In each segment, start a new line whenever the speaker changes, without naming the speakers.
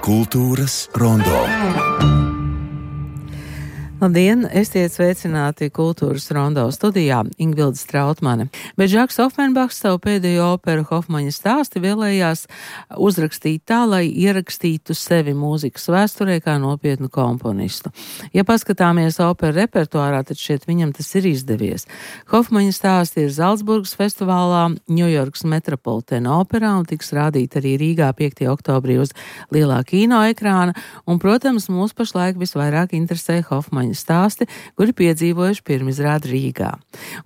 Kultūras rondo.
Labdien, esiet sveicināti Kultūras rondo studijā Ingvilde Strautmane. Bet Žaks Ofenbachs savu pēdējo operu Hofmaņa stāsti vēlējās uzrakstīt tā, lai ierakstītu sevi mūzikas vēsturē kā nopietnu komponistu. Ja paskatāmies operu repertuārā, tad šķiet viņam tas ir izdevies. Hofmaņa stāsti ir Zalcburgas festivālā, Ņujorkas Metropolitena operā un tiks rādīt arī Rīgā 5. oktobrī uz lielā kino ekrāna. Un, protams, mūs pašlaik visvairāk interesē Hofmaņa stāsti, kuri piedzīvojuši pirmizrādi Rīgā.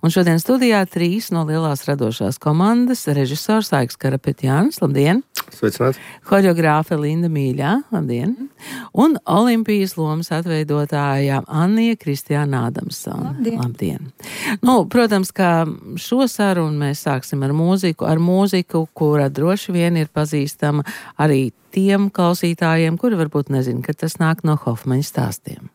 Un šodien studijā 3 no lielās radošās komandas - režisors Aiks Karapetjānis, labdien!
Sveicināti!
Horeogrāfe Linda Mīļā, labdien! Un Olimpijas lomas atveidotāja Annija Kristiāna Adamsone, labdien! Nu, protams, ka šo sarunu mēs sāksim ar mūziku, kura droši vien ir pazīstama arī tiem klausītājiem, kuri varbūt nezin, ka tas nāk no Hofmaņa stāstiem.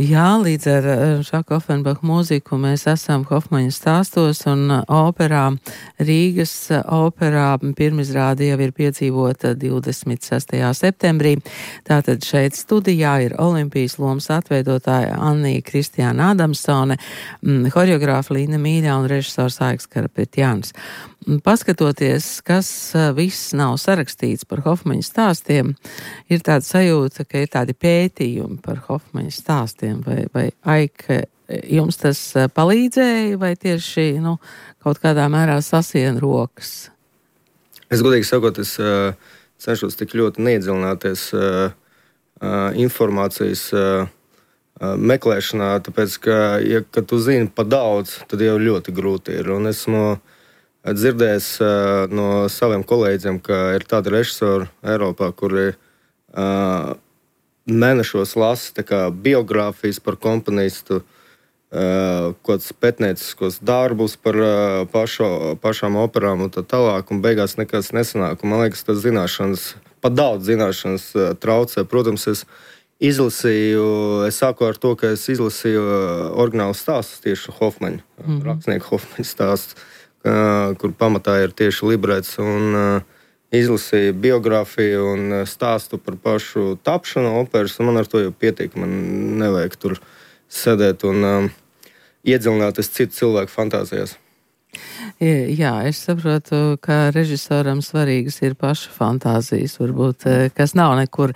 Jā, līdz ar Žaka Ofenbacha mūziku mēs esam Hofmaņa stāstos un operā, Rīgas operā pirmizrāde jau ir piedzīvota 26. septembrī. Tātad šeit studijā ir Olimpijas lomas atveidotāja Annija Kristiāna Adamsone, horeogrāfa Linda Mīļā un režisors Aiks Karapetjānis. Paskatoties, kas viss nav sarakstīts par Hofmaņa stāstiem, ir tāda sajūta, ka ir tādi pētījumi par Hofmaņa stāstiem, vai Aika, jums tas palīdzēja, vai tieši, kaut kādā mērā sasien rokas?
Es godīgi sakot, es cenšos tik ļoti neiedziļināties informācijas meklēšanā, tāpēc, ka tu zini pa daudz, tad jau ļoti grūti ir, un esmu dzirdējis no saviem kolēģiem, ka ir tādi režisori Eiropā, kuri mēnešos lasa biogrāfijas par komponistu, kāds pētnieciskos darbus par pašām operām un tā tālāk, un beigās nekas nesanāk. Un man liekas, tas zināšanas, pat daudz zināšanas traucē. Protams, es sāku ar to, ka es izlasīju oriģinālu stāstus tieši Hofmaņa, rakstnieku Hofmaņa stāstus, kur pamatā ir tieši librets, un izlasīju biogrāfiju un stāstu par pašu tapšanu operas, un man ar to jau pietiek. Man nevajag tur sēdēt un iedziļināties citu cilvēku fantāzijās.
Jā, es saprotu, ka režisoram svarīgas ir paša fantāzijas, varbūt, kas nav nekur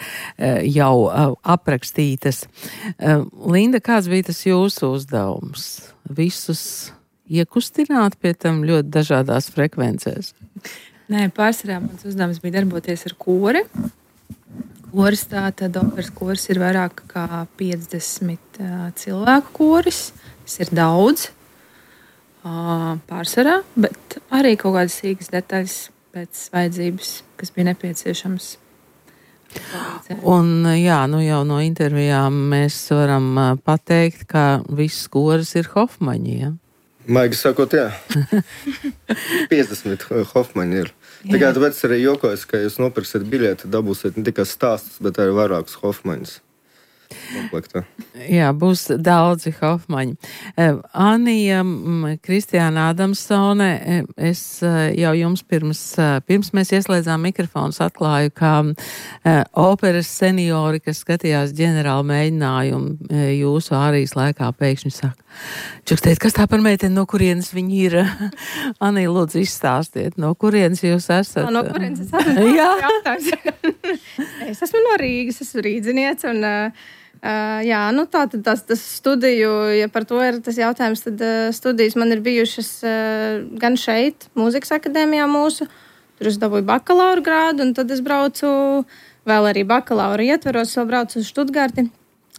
jau aprakstītas. Linda, kāds bija tas jūsu uzdevums? Visus iekustināt pie tam ļoti dažādās frekvencēs?
Nē, pārsvarā mans uzdevums bija darboties ar kori. Koris, tātad operas koris ir vairāk kā 50 cilvēku koris. Tas ir daudz pārsvarā, bet arī kaut kādas sīkas detaļas pēc vajadzības, kas bija nepieciešams.
Un jā, jau no intervijām mēs varam pateikt, ka viss koris ir Hofmaņi, ja?
Maigi sakot, jā. 50 Hofmaņi ir. Tāpēc arī jokojas, ka jūs nopirksiet biļeti, dabūsiet ne tikai stāstus, bet arī vairākus Hofmaņus. Komplektā. Jā,
būs daudzi Hofmaņi. Annija Kristiāna Adamsone, es jau jums pirms mēs ieslēdzām mikrofonus atklāju, ka operas seniori, kas skatījās ģenerālu mēģinājumu jūsu ārijas laikā, pēkšņi saka, čukstēt, kas tā par meiteni, no kurienes viņi ir? Annija, lūdzu, izstāstiet, no kurienes jūs esat?
No kurienes es esmu? Jā. Es esmu no Rīgas, esmu rīdziniece, un tātad tas studiju, ja par to ir tas jautājums, tad studijas man ir bijušas gan šeit, mūzikas akadēmijā mūsu, tur es dabūju bakalaura grādu, un tad es braucu vēl arī bakalaura ietveros, vēl braucu uz Štutgarti,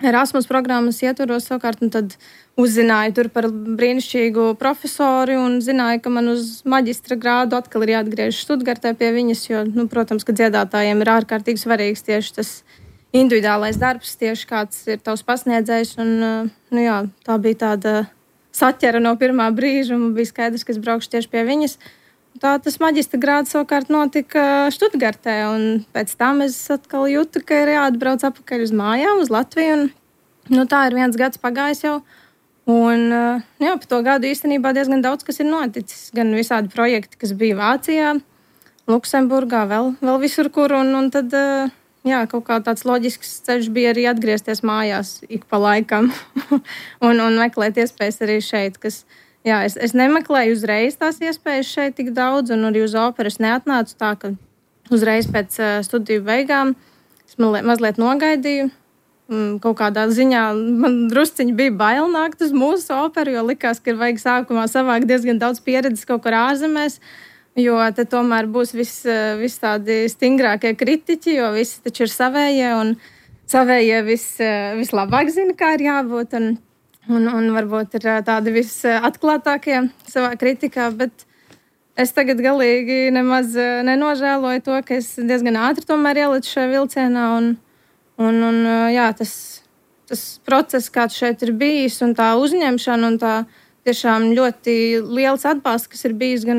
Erasmus programmas ietvaros savukārt, un tad uzzināju tur par brīnišķīgu profesori un zināju, ka man uz maģistra grādu atkal ir jāatgriežas Štutgartē pie viņas, jo, protams, ka dziedātājiem ir ārkārtīgi svarīgs tieši tas individuālais darbs, tieši kāds ir tavs pasniedzējs, un, tā bija tāda saķera no pirmā brīža, un bija skaidrs, ka es braukšu tieši pie viņas. Tā tas maģistra grāds savukārt notika Štutgartē, un pēc tam es atkal jūtu, ka ir jāatbrauc atpakaļ uz mājām, uz Latviju, un tā ir 1 gads pagājis jau, un pa to gadu īstenībā diezgan daudz, kas ir noticis, gan visādi projekti, kas bija Vācijā, Luksemburgā, vēl visur kur, un tad, kaut kā tāds loģisks ceļš bija arī atgriezties mājās ik pa laikam, un meklēt iespējas arī šeit, kas... Jā, es nemeklēju uzreiz tās iespējas šeit tik daudz, un arī uz operu es neatnācu tā, ka uzreiz pēc studiju beigām es mazliet nogaidīju. Kaut kādā ziņā man drusciņi bija bail nākt uz mūsu operu, jo likās, ka ir vajag sākumā savākt diezgan daudz pieredzes kaut kur ārzemēs, jo te tomēr būs viss tādi stingrākie kritiķi, jo visi taču ir savējie, un savējie vislabāk zina, kā ir jābūt, un varbūt ir tādi visatklātākie savā kritikā, bet es tagad galīgi nemaz nenožēloju to, ka es diezgan ātri tomēr ielicu šajā vilcienā, un tas process, kāds šeit ir bijis, un tā uzņemšana, un tā tiešām ļoti liels atbalsts, kas ir bijis gan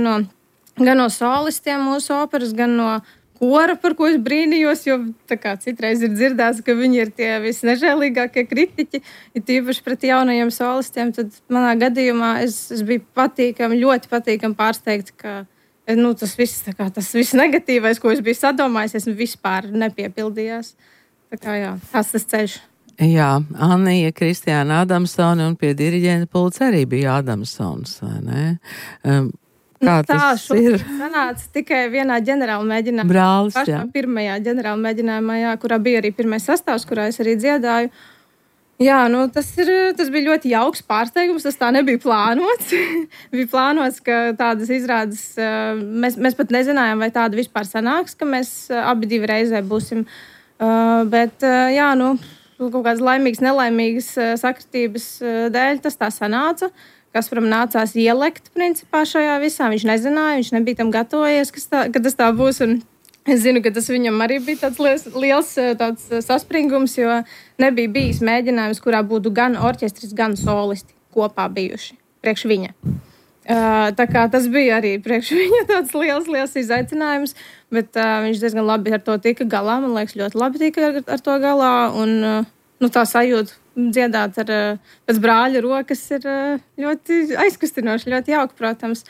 no solistiem mūsu operas, gan no kora, par ko es brīnījos, jo tā kā citreiz ir dzirdēts, ka viņi ir tie visnežēlīgākie kritiķi, ir tīpaši pret jaunajiem solistiem, tad manā gadījumā es biju ļoti patīkami pārsteigta, ka tas viss negatīvais, ko es biju sadomājis, vispār nepiepildījās. Tā kā tas ceļš.
Jā, Annija Kristiāna Adamsone un pie diriģenta pulca arī bija Adamsons, vai ne? Kā tas ir?
Sanāca tikai vienā ģenerāla mēģinājumā.
Brālis,
pašā pirmajā ģenerāla mēģinājumā, kurā bija arī pirmais sastāvs, kurā es arī dziedāju. Jā, tas bija ļoti jauks pārsteigums, tas tā nebija plānots. Bija plānots, ka tādas izrādes, mēs pat nezinājām, vai tāda vispār sanāks, ka mēs abi divi reizē būsim. Bet, kaut kādas laimīgas, nelaimīgas sakritības dēļ tas tā sanāca. Kasparam nācās ielekt principā šajā visā. Viņš nezināja, viņš nebija tam gatavojies, ka tas tā būs. Un es zinu, ka tas viņam arī bija tāds liels tāds saspringums, jo nebija bijis mēģinājums, kurā būtu gan orķestris, gan solisti kopā bijuši priekš viņa. Tā kā tas bija arī priekš viņa tāds liels izaicinājums, bet viņš diezgan labi ar to tika galā. Man liekas, ļoti labi tika ar to galā. Un tā sajūta dziedāt pēc brāļa rokas ir ļoti aizkustinoši, ļoti jauki, protams.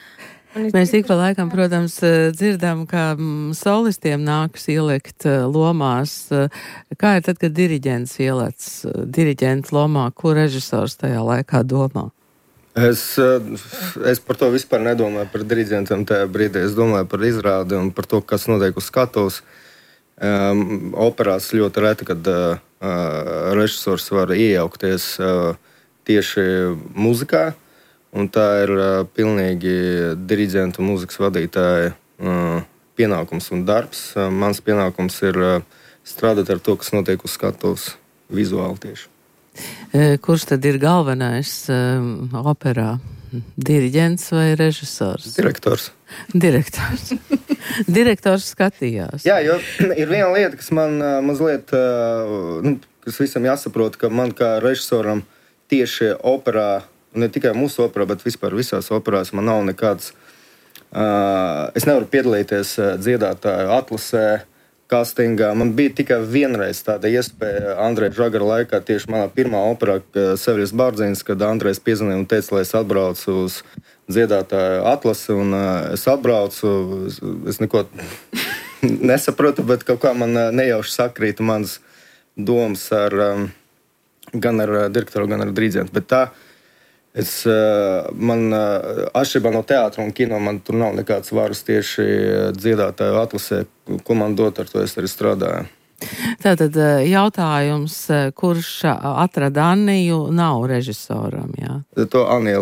Mēs ik pa laikam, protams, dzirdam, ka solistiem nākas ielikt lomās. Kā ir tad, kad diriģents ielec diriģenta lomā, ko režisors tajā laikā domā?
Es par to vispār nedomāju par diriģentiem tajā brīdī. Es domāju par izrādi un par to, kas notiek uz skatuves. Operās ļoti reti, kad režisors var iejaukties tieši muzikā, un tā ir pilnīgi diriģenta un muzikas vadītāja pienākums un darbs. Mans pienākums ir strādāt ar to, kas notiek uz skatuves vizuāli tieši.
Kurš tad ir galvenais operā? Diriģents vai režisors?
Direktors.
Direktors skatījās.
Jā, jo ir viena lieta, kas man mazliet, kas visam jāsaprot, ka man kā režisoram tieši operā, ne tikai mūsu operā, bet vispār visās operās, man nav nekāds, es nevaru piedalīties dziedātāju atlasē, castingā. Man bija tikai vienreiz tāda iespēja Andreja Žagara laikā, tieši manā pirmā operā, Seviļas Bārdzīns, kad Andrejs piezvanīja un teica, lai es atbraucu uz dziedātāju atlasi, un es atbraucu, es neko nesapratu, bet kaut kā man nejauši sakrīta manas domas gan ar direktoru, gan ar diriģentu. Bet tā, man atšķirībā no teātra un kino, man tur nav nekāds varas tieši dziedātāju atlasē, ko man dot, ar to es arī strādāju.
Tātad jautājums, kurš atrada Anniju, nav režisoram, jā?
To Anija,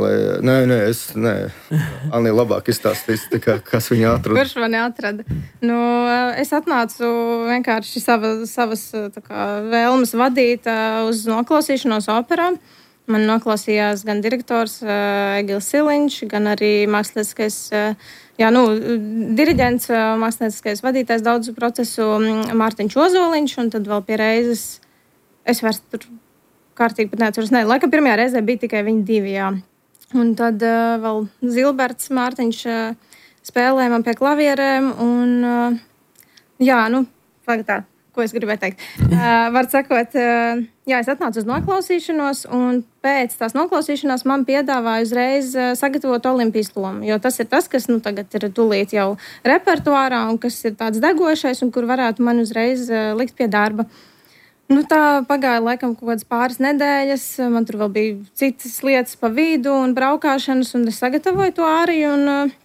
Anija labāk izstāstīs, kas viņu atrada.
Kurš mani atrada? Nu, es atnācu vienkārši savas vēlmes vadīt uz noklausīšanos operā. Man noklausījās gan direktors Egils Siliņš, gan arī mākslinieckais, diriģents, mākslinieckais vadītājs daudzu procesu Mārtiņš Ozoliņš, un tad vēl pie reizes, es vairs tur kārtīgi pat neatceros, laikam pirmajā reizē bija tikai viņi divi, jā. Un tad vēl Zilberts Mārtiņš spēlēja man pie klavierēm, un tā. Ko es gribēju teikt? Var sakot, es atnācu uz noklausīšanos, un pēc tās noklausīšanās man piedāvāja uzreiz sagatavot Olimpijas lomu, jo tas ir tas, kas tagad ir tūlīt jau repertuārā un kas ir tāds degošais un kur varētu man uzreiz likt pie darba. Tā pagāja laikam kaut kādas pāris nedēļas, man tur vēl bija citas lietas pa vidu un braukāšanas, un es sagatavoju to arī, un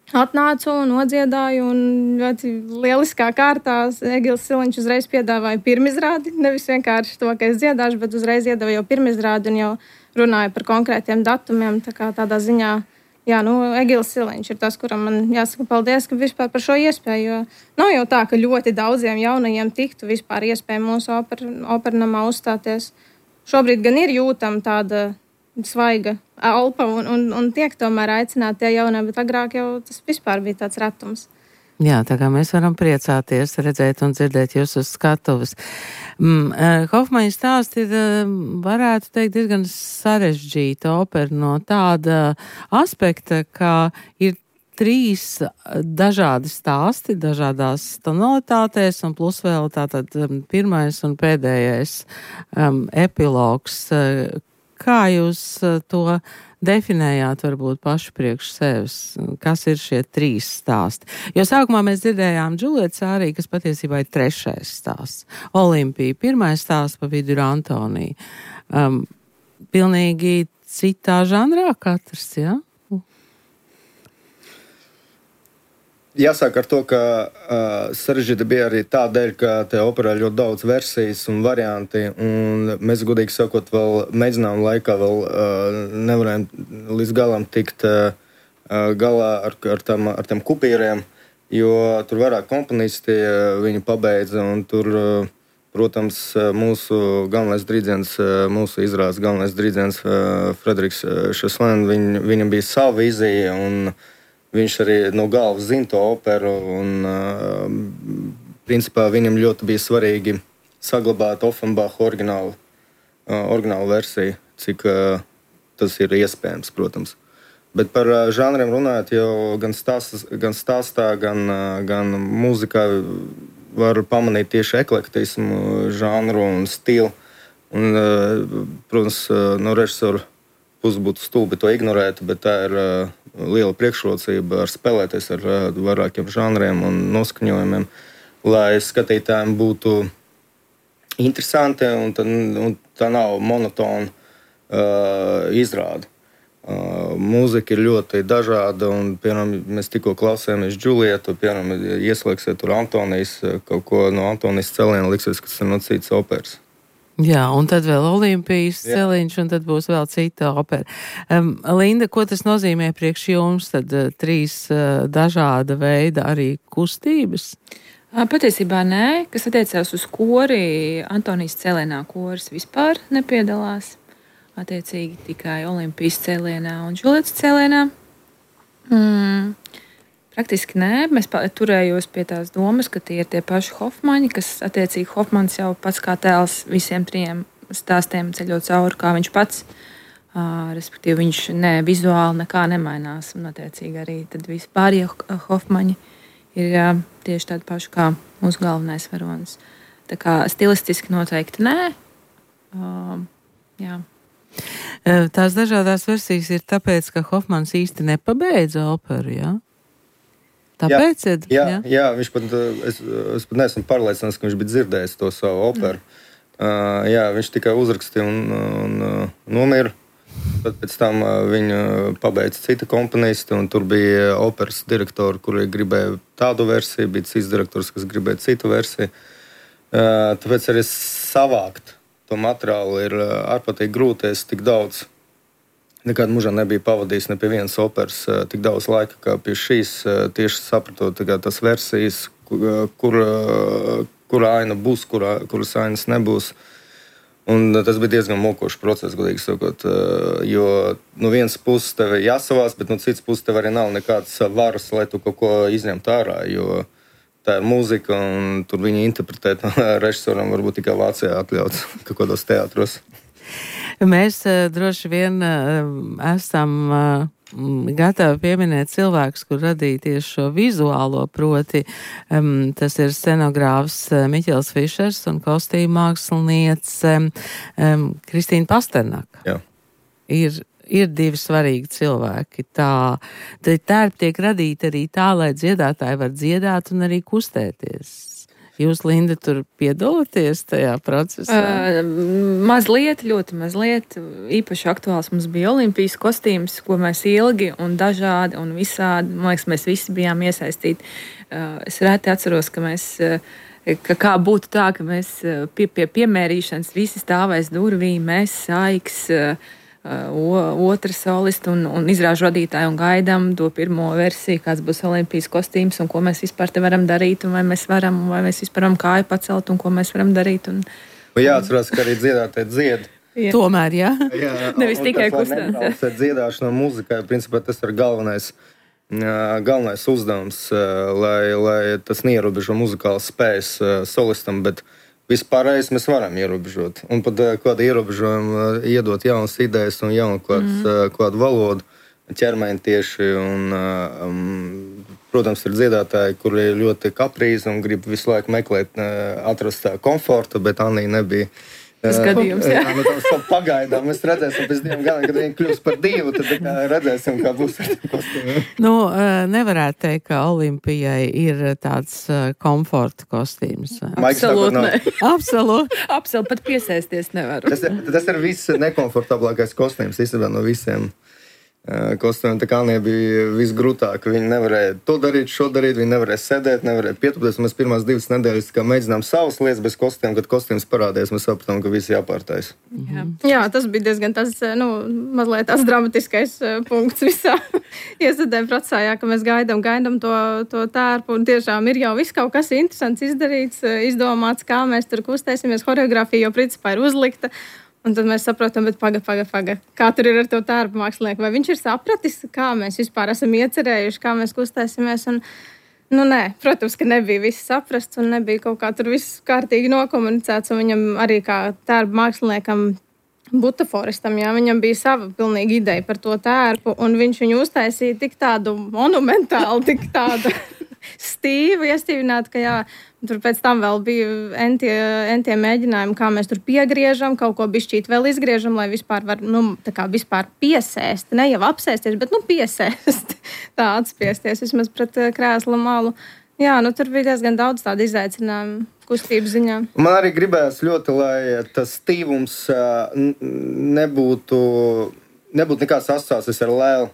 atnācu un nodziedāju, un ļoti lieliskā kārtā Egils Siliņš uzreiz piedāvāja pirmizrādi, nevis vienkārši to, ka es dziedāšu, bet uzreiz iedeva jau pirmizrādi un jau runāja par konkrētiem datumiem, tādā ziņā, Egils Siliņš ir tas, kuram man jāsaka paldies, ka vispār par šo iespēju, jo nav jau tā, ka ļoti daudziem jaunajiem tiktu vispār iespēja mūsu opernamā uzstāties. Šobrīd gan ir jūtama tāda svaiga elpa un tiek tomēr aicināti tie jaunie, bet agrāk jau tas vispār bija tāds retums.
Jā, tā kā mēs varam priecāties, redzēt un dzirdēt jūs uz skatuves. Hofmaņa stāsts ir, varētu teikt, diezgan sarežģīta opera no tāda aspekta, ka ir 3 dažādi stāsti, dažādās tonalitātēs, un plus vēl tātad pirmais un pēdējais epilogs. Kā jūs to definējāt varbūt paši priekš sevis? Kas ir šie 3 stāsti? Jo sākumā mēs dzirdējām Džulietas ārī, kas patiesībā ir 3. stāsts. Olimpija, 1. stāsts, pa vidu ir Antonija. Pilnīgi citā žanrā katrs, jā?
Jāsāk ar to, ka sarežģīta bija arī tādēļ, ka te operā ļoti daudz versijas un varianti, un mēs, godīgi sakot, vēl mēģinām laikā vēl nevarējām līdz galam tikt galā ar tiem kupīriem, jo tur vairāk komponisti viņu pabeidza, un tur, protams, mūsu galvenais diriģents, mūsu izrādes galvenais diriģents Frederiks Šeslēn, viņam bija sava vīzija, un viņš arī no galvas zina to operu, un principā viņam ļoti bija svarīgi saglabāt Offenbacha oriģinālu versiju, cik tas ir iespējams, protams. Bet par žanriem runājot, jau gan stāstā, gan mūzikā var pamanīt tieši eklektismu, žanru un stilu. Un, protams, no režisora puses būtu stulbi to ignorēt, bet tā ir liela priekšrocība ar spēlēties ar vairākiem žanriem un noskaņojumiem, lai skatītājiem būtu interesanti un tā nav monotona izrāde. Mūzika ir ļoti dažāda, un, piemēram, mēs tikko klausījāmies Džulietu, piemēram, ieslēgsiet tur Antonijas, kaut ko no Antonijas celiena, liksies, kas ir no citas operas.
Jā, un tad vēl Olimpijas celiņš, un tad būs vēl cita opera. Linda, ko tas nozīmē priekš jums? Tad 3 dažāda veida arī kustības?
Patiesībā nē, kas attiecās uz kori, Antonijas celienā koris vispār nepiedalās. Attiecīgi tikai Olimpijas celienā un Džulietas celienā. Praktiski nē, mēs turējos pie tās domas, ka tie ir tie paši Hofmaņi, kas attiecīgi Hofmans jau pats kā tēls visiem 3 stāstiem ceļot cauri, kā viņš pats. Respektīvi, viņš vizuāli nekā nemainās, un attiecīgi arī tad vispārie Hofmaņi ir tieši tādi paši kā mūsu galvenais varonis. Tā kā stilistiski noteikti nē. Jā.
Tās dažādās versijas ir tāpēc, ka Hofmans īsti nepabeidza operu, jā? Tāpēc?
Jā, viņš pat, es pat neesmu pārliecināts, ka viņš bija dzirdējis to savu operu. Viņš tikai uzrakstīja un nomira. Tad pēc tam viņu pabeidza cita komponisti, un tur bija operas direktori, kuri gribēja tādu versiju, bija cits direktors, kas gribēja citu versiju. Tāpēc arī savākt to materiālu ir ārprātīgi grūti. Es tik daudz nekad mūžā nebija pavadījis ne pie vienas operas tik daudz laika, kā pie šīs, tieši sapratot tās versijas, kura aina būs, kuras ainas nebūs. Un tas bija diezgan mokošs process, godīgi sakot, jo no vienas puses tev ir jāsavās, bet no citas puses tev arī nav nekādas varas, lai tu kaut ko izņemtu ārā, jo tā ir mūzika, un tur viņi interpretēt režisoram varbūt tikai Vācijā atļauts kaut kādos teātros.
Mēs droši vien esam gatavi pieminēt cilvēkus, kur radīja tieši šo vizuālo, proti tas ir scenogrāfs Miķels Fišers un kostīmu māksliniece Kristīna Pasternaka.
Jā.
Ir divi svarīgi cilvēki. Tērpi tiek radīti arī tā, lai dziedātāji var dziedāt un arī kustēties. Jūs, Linda, tur piedalāties tajā procesā?
Mazliet, ļoti mazliet. Īpaši aktuāls mums bija olimpijas kostīms, ko mēs ilgi un dažādi un visādi, man liekas, mēs visi bijām iesaistīti. Es reti atceros, ka kā būtu tā, ka mēs pie piemērīšanas visi stāvēs durvīm, mēs Saiks, otra solista un izrāžu vadītāji un gaidām to pirmo versiju, kāds būs olimpijas kostīms un ko mēs vispār te varam darīt un vai mēs vispār varam kāju pacelt un ko mēs varam darīt. Un
jāatcerās, ka arī dziedātāji dzied.
Jā. Tomēr, jā.
Nevis tikai kustēt.
Dziedāšana mūzikai, principā tas ir galvenais uzdevums, lai tas neierobežo muzikālas spējas solistam, bet vispārējais mēs varam ierobežot. Un pat kādu ierobežojumu iedot jaunas idejas un jaunu kādu valodu, ķermeni tieši. Protams, ir dziedātāji, kuri ir ļoti kaprīzi un grib visu laiku meklēt, atrast komfortu, bet Anija nebija.
Tas gadījums, jā.
Tas pagaidām. Mēs redzēsim pēc 2 gadiem, kad viņi kļūs par 2, tad redzēsim, kā būs ar tiem kostīmiem.
Nevarētu teikt, ka Olimpijai ir tāds komforta kostīms.
Absolūti ne.
Absolūti.
Pat piesēsties nevaru.
Tas ir viss nekomfortablākais kostīms īstenībā no visiem kostīmiem. Tā kā Anija bija visgrūtāk. Viņi nevarēja to darīt, šo darīt, viņi nevarēja sēdēt, nevarēja pietupties. Mēs pirmās 2 nedēļas mēģinām savas lietas bez kostīm, kad kostīms parādījās, mēs sapratām, ka visi jāpārtais.
Jā, tas bija diezgan mazliet tās dramatiskais punkts visā iesadē procesā, jā, ka mēs gaidām to tērpu, un tiešām ir jau viss kaut kas interesants izdarīts, izdomāts, kā mēs tur kustēsimies, horeogrāfija jau principā ir uzlikta. Un tad mēs saprotam, bet paga, kā tur ir ar to tērpu mākslinieku. Vai viņš ir sapratis, kā mēs vispār esam iecerējuši, kā mēs kustēsimies. Un, nē, protams, ka nebija viss saprasts un nebija kaut kā tur viss kārtīgi nokomunicēts. Un viņam arī kā tērpu māksliniekam, butaforistam, jā, viņam bija sava pilnīga ideja par to tērpu. Un viņš viņu uztaisīja tik tādu monumentālu, tik tādu stīvu iestīvināt, ka jā, tur pēc tam vēl bija entie mēģinājumi, kā mēs tur piegriežam, kaut ko bišķīt vēl izgriežam, lai vispār var, vispār piesēst, ne jau apsēsties, bet, piesēst, tā atspiesties vismaz pret krēsla malu. Jā, tur bija diezgan daudz tādu izaicinājumu kustības ziņā.
Man arī gribējās ļoti, lai tas stīvums nebūtu nekāds asociācijas ar lēlu.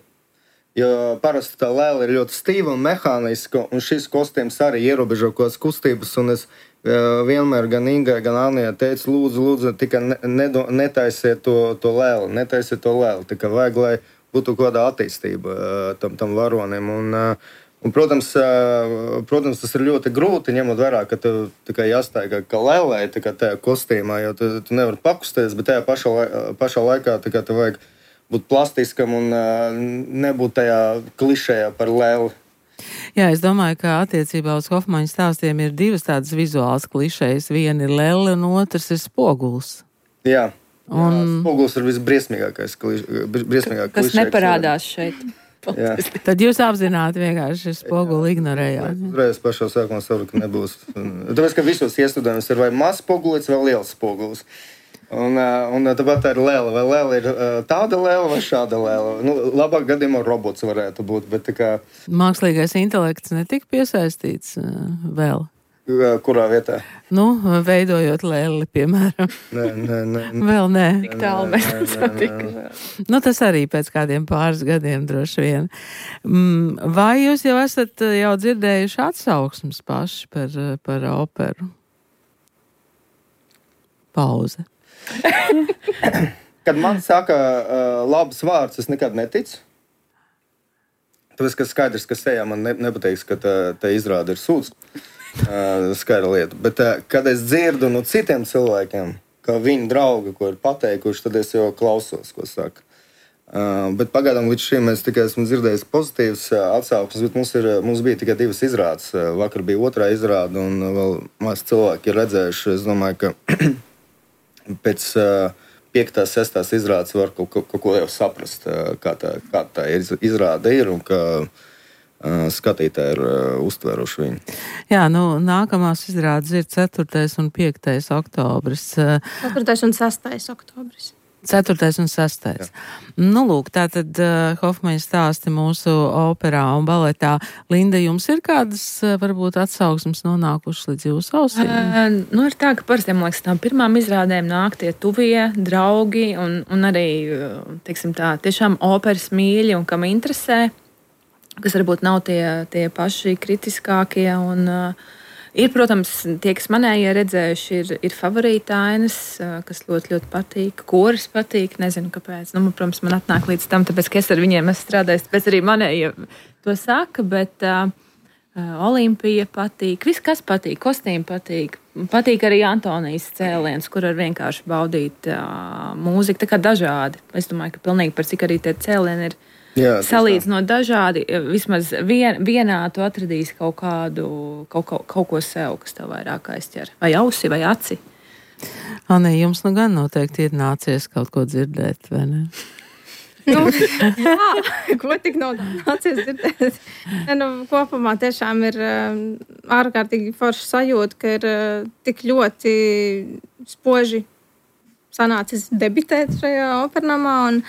Jo parasti tā lēla ir ļoti stīva un mehāniska, un šis kostīms arī ierobežo kaut kādas kustības. Un es vienmēr gan Ingai, gan Anijai teicu, lūdzu, tikai netaisiet to lēlu, netaisiet to lēlu. Tikai vajag, lai būtu kaut kāda attīstība tam varonim. Un protams, tas ir ļoti grūti, ņemot vērā, ka tev tikai jāstāj kā lēlē, tikai tajā kostīmā, jo tu nevari pakustēties, bet tajā pašā laikā tikai tev vajag būt plastiskam un nebūt tajā klišējā par lēli.
Jā, es domāju, ka attiecībā uz Hofmaņa stāstiem ir 2 tādas vizuālas klišejas. Viena ir lēle un otrs ir spoguls.
Jā, spoguls ir visbriesmīgākais klišeja.
Kas neparādās šeit.
Tad jūs apzināti vienkārši spoguli ignorējāt.
Uzreiz pašā sākumā saprotu, ka nebūs. Tāpēc, ka visos iestudējumos ir vai mazs spogulis vai liels spogulis. Un tāpat tā ir lēle. Vai lēle ir tāda lēle vai šāda lēle? Labāk gadījumā robots varētu būt. Bet
mākslīgais intelekts netika piesaistīts vēl.
Kurā vietā?
Veidojot lēli, piemēram.
Nē.
Vēl nē.
Tik tālu mēs esam tikuši.
Tas arī pēc kādiem pāris gadiem droši vien. Vai jūs jau esat dzirdējuši atsauksmes paši par operu? pauze.
Kad man saka labs vārds, es nekad neticu. Tāpēc, ka skaidrs, ka sejā man nepateiks, ka tā izrāda ir sūds. Skaidra lieta. Bet, kad es dzirdu no citiem cilvēkiem, ka viņi draugi, ko ir pateikuši, tad es jau klausos, ko saka. Bet pagaidām līdz šim es tikai esmu dzirdējis pozitīvas atsauksmes, bet mums bija tikai 2 izrādes. Vakar bija 2. izrāde, un vēl maz cilvēki ir redzējuši. Es domāju, ka pēc 5. 6. izrādes var kaut ko jau saprast, kā tā izrāde ir un ka skatītāji ir uztveruši viņu.
Jā, nākamās izrādes ir 4. un 5. oktobris.
4. un 6. oktobris.
4. un 6. Jā. Lūk, tātad Hofmaņa stāsti mūsu operā un baletā. Linda, jums ir kādas, varbūt, atsauksmes nonākušas līdz jūsu ausīm?
Ir tā, ka parasti, man liekas, tām pirmām izrādēm nāk tie tuvie draugi un arī, teiksim tā, tiešām operas mīļi un kam interesē, kas varbūt nav tie paši kritiskākie un ir, protams, tie, kas manējie redzējuši, ir favorītainas, kas ļoti, ļoti patīk. Koris patīk, nezinu, kāpēc. Protams, man atnāk līdz tam, tāpēc, ka es ar viņiem esmu strādājis, tāpēc arī manējie to saka, bet Olimpija patīk, viss, kas patīk, kostīmi patīk. Patīk arī Antonijas cēliens, kur var vienkārši baudīt mūziku, tā kā dažādi. Es domāju, ka pilnīgi par cik arī tie cēlieni ir salīdzinot dažādi, vismaz vienā tu atradīsi kaut ko sev, kas tev vairāk aizķer. Vai ausi, vai aci.
Anī, jums gan noteikti ir nācies kaut ko dzirdēt, vai ne?
Jā, ko tik nav nācies dzirdēt. Kopumā tiešām ir ārkārtīgi forša sajūta, ka ir tik ļoti spoži sanācis debitēt šajā opernamā un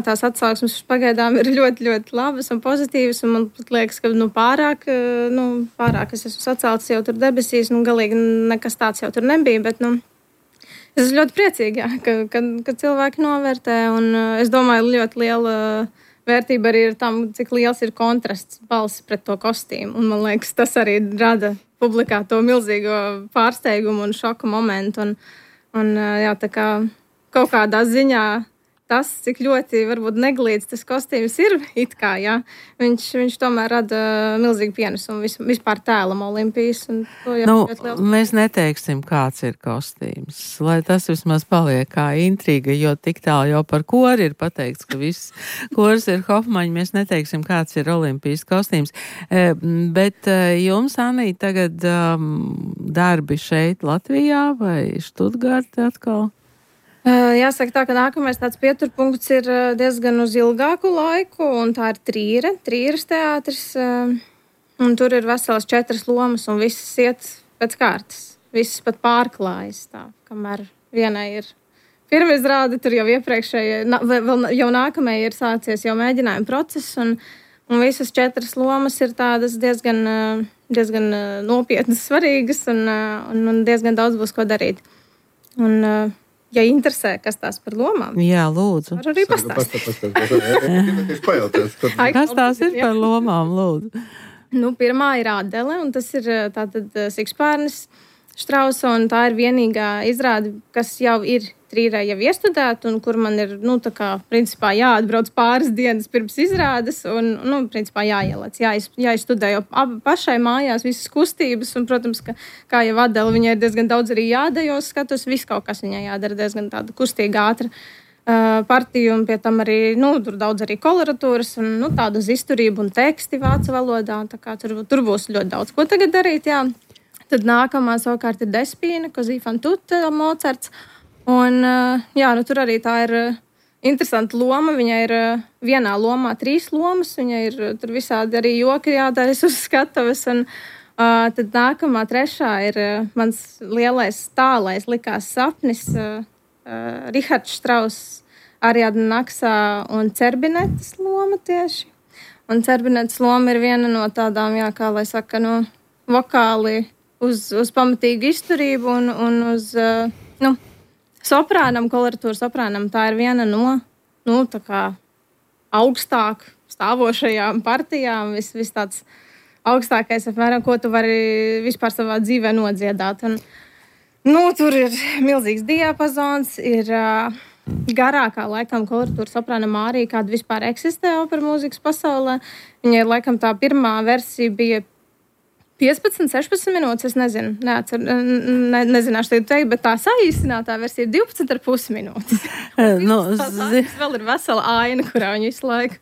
tās atsauksmes pagaidām ir ļoti, ļoti labas un pozitīvas. Un man liekas, ka pārāk es esmu sacēlts jau tur debesīs. Galīgi nekas tāds jau tur nebija. Bet es esmu ļoti priecīga, ka cilvēki novērtē. Un es domāju, ļoti liela vērtība arī ir tam, cik liels ir kontrasts balss pret to kostīmu. Un man liekas, tas arī rada publikā to milzīgo pārsteigumu un šoku momentu. Un tā kā kaut kādā ziņā tas, cik ļoti varbūt neglīts tas kostīms ir, it kā, jā, viņš tomēr rada milzīgu pienesumu vispār tēlam Olimpijas.
Mēs neteiksim, kāds ir kostīms, lai tas vismaz paliek kā intriga, jo tik tālu jau par kori ir pateikts, ka viss kors ir Hofmaņa, mēs neteiksim, kāds ir Olimpijas kostīms. Bet jums, Anī, tagad darbi šeit Latvijā vai Štutgārtē atkal?
Jāsaka tā, ka nākamais tāds pieturpunkts ir diezgan uz ilgāku laiku, un tā ir Trīras teātris, un tur ir veselas 4 lomas, un visas iet pēc kārtas. Visas pat pārklājas tā, kamēr vienai ir pirmā izrāde, tur jau iepriekšēji, jau nākamajai ir sācies jau mēģinājuma process, un visas 4 lomas ir tādas diezgan nopietnas, svarīgas, un diezgan daudz būs ko darīt. Un, ja interesē, kas tās par lomām.
Jā, lūdzu.
Var arī pastāstīt.
Kas tās ir par lomām, lūdzu?
Pirmā ir Adele, un tas ir tātad Sikspārnis Štrausa, un tā ir vienīgā izrāde, kas jau ir Trīrē jau iestudēta, un kur man ir, principā jāatbrauc pāris dienas pirms izrādes, un, principā jāielēc, jāizstudē jau pašai mājās visas kustības, un, protams, ka, kā jau Adele, viņai ir diezgan daudz arī jādējos skatus, viss kaut kas viņai jādara diezgan tāda kustīga, ātra partija, un pie tam arī, tur daudz arī koloratūras, un, tāda uz izturību un teksti vācu valodā, tā kā tur būs ļoti daudz ko tagad darīt, jā. Tad nākamā savukārt ir Despīna, Così fan tutte, Mocarts. Un, tur arī tā ir interesanta loma. Viņai ir vienā lomā 3 lomas. Viņai ir tur visādi arī joki jādēļas uz skatuves. Un tad nākamā 3. ir mans lielais tālais likās sapnis. Rihards Štrauss, Ariadna Naksā un Cerbinetes loma tieši. Un Cerbinetes loma ir viena no tādām, kā lai saka, vokāli uz pamatīgu izturību un uz, soprānam, koloratūra soprānam. Tā ir viena no, tā kā augstāk stāvošajām partijām, viss tāds augstākais, apmēram, ko tu vari vispār savā dzīvē nodziedāt. Nu, tur ir milzīgs diapazons, ir garākā laikam koloratūra soprāna Mārija, kāda vispār eksistē opera mūzikas pasaulē. Viņai laikam tā pirmā versija bija 15, 16 minūtes, es nezinu, nezināšu teikt, bet tā saīsinātā versija ir 12,5 minūtes. Vēl ir vesela aina, kurā viņa visu laiku.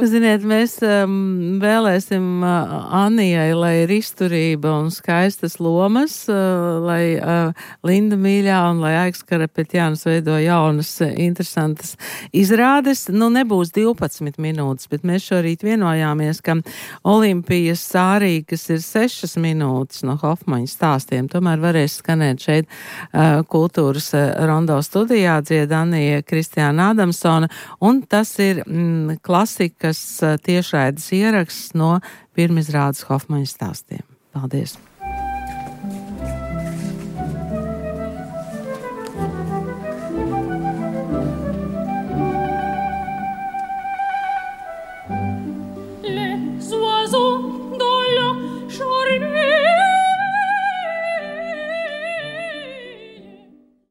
Ziniet, mēs vēlēsim Annijai, lai ir izturība un skaistas lomas, lai Linda Mīļā un lai Aiks Karapetjāns veido jaunas, interesantas izrādes. Nu, nebūs 12 minūtes, bet mēs šorīt vienojāmies, ka Olimpijas sārī, kas ir 6 minūtes no Hofmaņa stāstiem, tomēr varēs skanēt šeit kultūras rondo studijā dzied Annija Kristiāna Adamsona, un tas ir klasikas tiešraides ieraksts no pirmizrādes Hofmaņa stāstiem. Paldies!